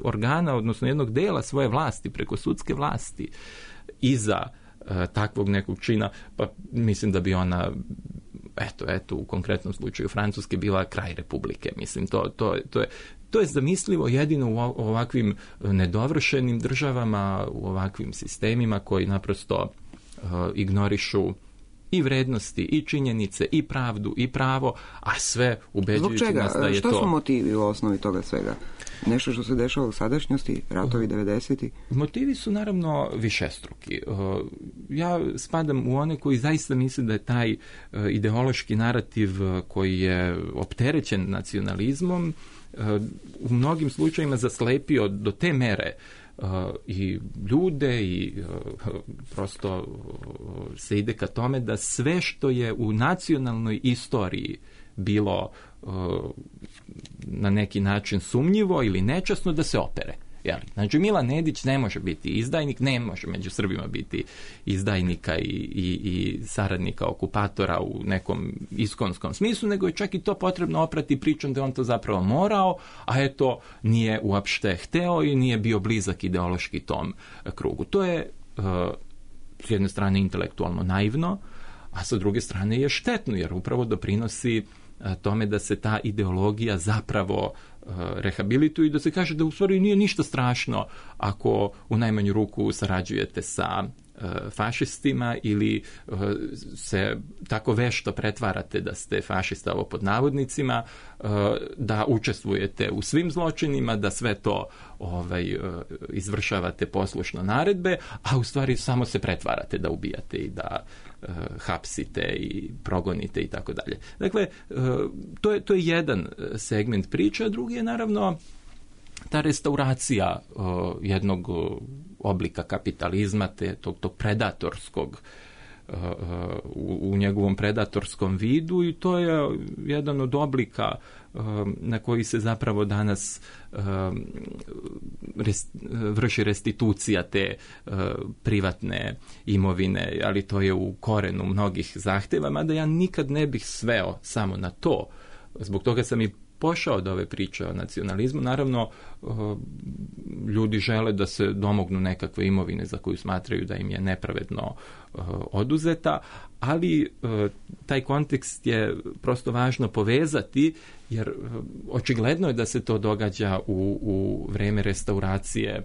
organa, odnosno jednog dela svoje vlasti, preko sudske vlasti, iza uh, takvog nekog čina, pa mislim da bi ona, eto, eto, u konkretnom slučaju Francuske bila kraj republike. Mislim, to, to, to je To je zamislivo jedino u ovakvim nedovršenim državama, u ovakvim sistemima koji naprosto uh, ignorišu i vrednosti, i činjenice, i pravdu, i pravo, a sve ubeđujući nas da je Šta to... Šta su motivi u osnovi toga svega? Nešto što se dešava u sadašnjosti, ratovi devedesetih? Motivi su naravno višestruki. Ja spadam u one koji zaista misle da je taj ideološki narativ koji je opterećen nacionalizmom u mnogim slučajima zaslepio do te mere Uh, i ljude i uh, prosto uh, se ide ka tome da sve što je u nacionalnoj istoriji bilo uh, na neki način sumnjivo ili nečasno da se opere. Jel? Znači Milan Nedić ne može biti izdajnik, ne može među Srbima biti izdajnika i, i, i saradnika okupatora u nekom iskonskom smislu, nego je čak i to potrebno oprati pričom da on to zapravo morao, a eto nije uopšte hteo i nije bio blizak ideološki tom krugu. To je uh, s jedne strane intelektualno naivno, a sa druge strane je štetno, jer upravo doprinosi tome da se ta ideologija zapravo uh, rehabilituje i da se kaže da u stvari nije ništa strašno ako u najmanju ruku sarađujete sa uh, fašistima ili uh, se tako vešto pretvarate da ste fašista, ovo pod navodnicima, uh, da učestvujete u svim zločinima, da sve to ovaj, uh, izvršavate poslušno naredbe, a u stvari samo se pretvarate da ubijate i da hapsite i progonite i tako dalje. Dakle, to je, to je jedan segment priče, a drugi je naravno ta restauracija jednog oblika kapitalizma, te, tog, tog predatorskog u, u njegovom predatorskom vidu i to je jedan od oblika na koji se zapravo danas rest, vrši restitucija te privatne imovine, ali to je u korenu mnogih zahteva, mada ja nikad ne bih sveo samo na to. Zbog toga sam i pošao od ove priče o nacionalizmu. Naravno, ljudi žele da se domognu nekakve imovine za koju smatraju da im je nepravedno oduzeta, ali taj kontekst je prosto važno povezati, jer očigledno je da se to događa u, u vreme restauracije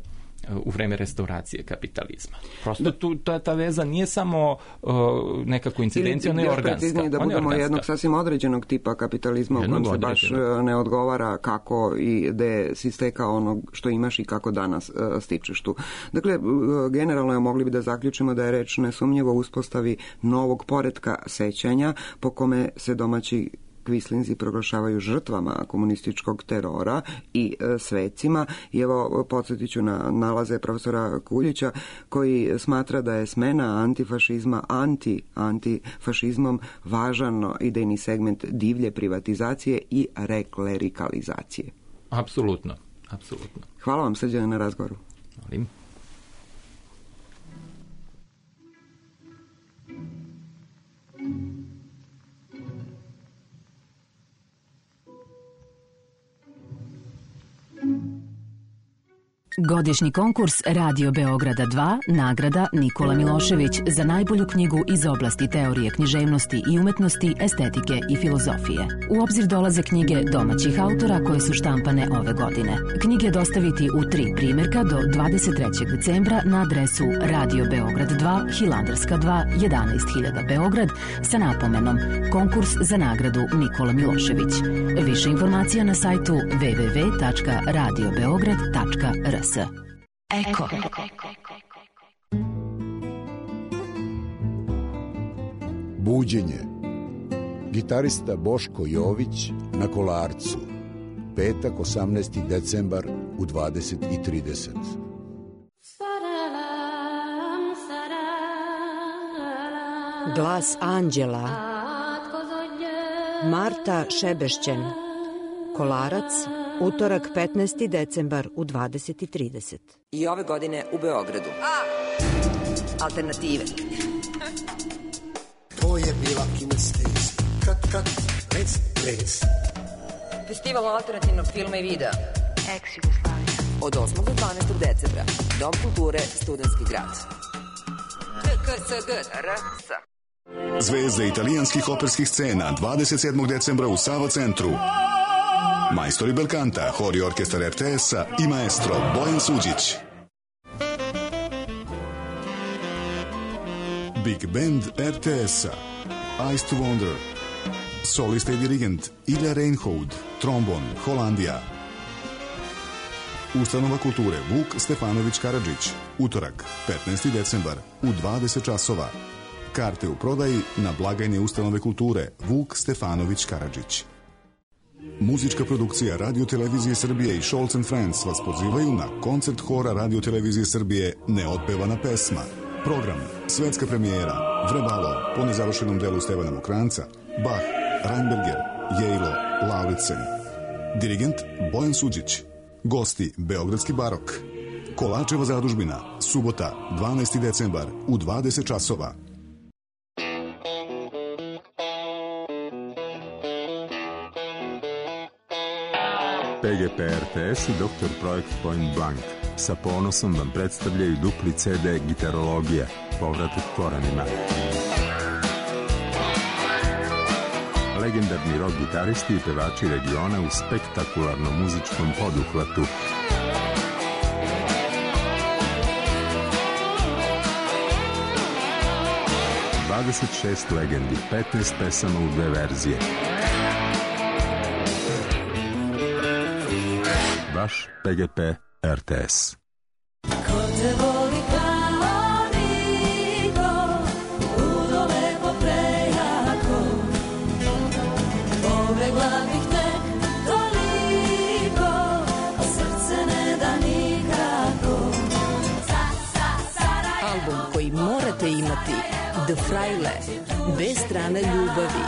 u vreme restauracije kapitalizma. Prosto tu, ta, ta veza nije samo uh, nekako incidencija, ona je organska. Da budemo jednog sasvim određenog tipa kapitalizma u kojem se baš ne odgovara kako i gde si stekao ono što imaš i kako danas uh, stičeš tu. Dakle, uh, generalno je mogli bi da zaključimo da je reč nesumnjivo uspostavi novog poretka sećanja po kome se domaći Kvislinzi proglašavaju žrtvama komunističkog terora i e, svecima. I evo, podsjetit ću na nalaze profesora Kuljića, koji smatra da je smena antifašizma anti-antifašizmom važan idejni segment divlje privatizacije i reklerikalizacije. Apsolutno, apsolutno. Hvala vam, Srđane, na razgovoru. Molim. Godišnji konkurs Radio Beograda dva, nagrada Nikola Milošević za najbolju knjigu iz oblasti teorije književnosti i umetnosti, estetike i filozofije. U obzir dolaze knjige domaćih autora koje su štampane ove godine. Knjige dostaviti u tri primjerka do dvadeset trećeg decembra na adresu Radio Beograd dva, Hilandarska dva, jedanaest hiljada Beograd sa napomenom Konkurs za nagradu Nikola Milošević. Više informacija na sajtu w w w tačka radio beograd tačka r s. Eko. Buđenje. Gitarista Boško Jović na Kolarcu. Petak, osamnaesti decembar u dvadeset i trideset. Glas anđela. Marta Šebešćen. Kolarac, utorak petnaesti decembar u dvadeset i trideset. I ove godine u Beogradu. A! Alternative. To je bila kinesteza. Kat, kat, rec, rec. Festival alternativnog filma i videa. Ex-Jugoslavija. Od osmog do dvanaestog decembra. Dom kulture, Studentski grad. T K S G R S. Zvezde italijanskih operskih scena dvadeset sedmog decembra u Sava centru. Majstori belkanta, hor i orkestar R T S-a i maestro Bojan Suđić. Big Band R T S-a, Ice to Wonder, solista i dirigent Ilja Reinhold, trombon, Holandija. Ustanova kulture Vuk Stefanović Karadžić, utorak, petnaesti decembar, u dvadeset časova. Karte u prodaji na blagajne ustanove kulture Vuk Stefanović Karadžić. Muzička produkcija Radio Televizije Srbije i Scholz and Friends vas pozivaju na koncert hora Radio Televizije Srbije Neotpevana pesma. Program, svetska premijera, Vrbalo, po nezavršenom delu Stevana Mokranca, Bach, Reinberger, Jejlo, Lauritsen. Dirigent Bojan Suđić. Gosti Beogradski barok. Kolačeva zadužbina, subota, dvanaesti decembar u dvadeset časova. P G P R T S i doktor Projekt Point Blank sa ponosom vam predstavljaju dupli C D Gitarologija, povratak korenima. Legendarni rock gitaristi i pevači regiona u spektakularnom muzičkom poduhvatu. dvadeset šest legendi, petnaest pesama u dve verzije. Vaš P G P R T S. Ko te voli kao niko, ludo lepo prejako, pobegla bih tek toliko, a srce ne da nikako. Album koji morate imati, The Fraile, bez strane ljubavi.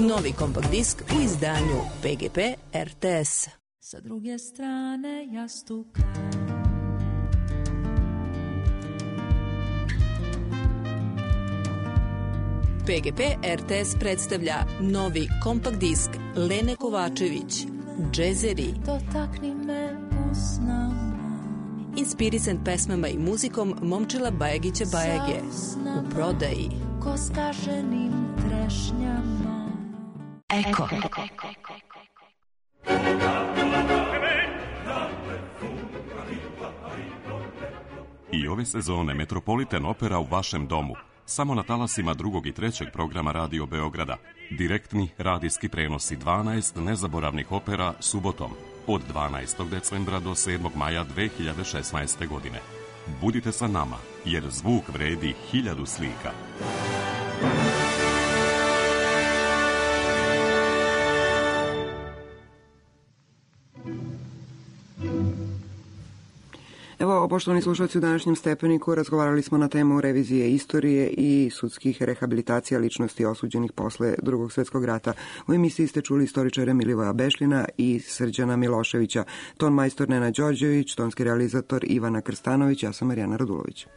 Novi kompakt disk u izdanju P G P R T S. Sa druge strane jastuka. P G P R T S predstavlja novi kompakt disk Lene Kovačević, Džezeri. Dotakni me usnama. Inspirisan pesmama i muzikom Momčila Bajagića Bajage. U prodaji. Ko skaženim trešnjama. Eko. I ove sezone Metropolitan Opera u vašem domu. Samo na talasima drugog i trećeg programa Radio Beograda. Direktni radijski prenosi dvanaest nezaboravnih opera subotom od dvanaestog decembra do sedmog maja dve hiljade šesnaeste. godine. Budite sa nama, jer zvuk vredi hiljadu slika. Evo, poštovani slušalci, u današnjem Stepeniku razgovarali smo na temu revizije istorije i sudskih rehabilitacija ličnosti osuđenih posle Drugog svjetskog rata. U emisiji ste čuli istoričare Milivoja Bešljina i Srđana Miloševića, ton majstor Nena Đorđević, tonski realizator Ivana Krstanović, ja sam Marijana Radulović.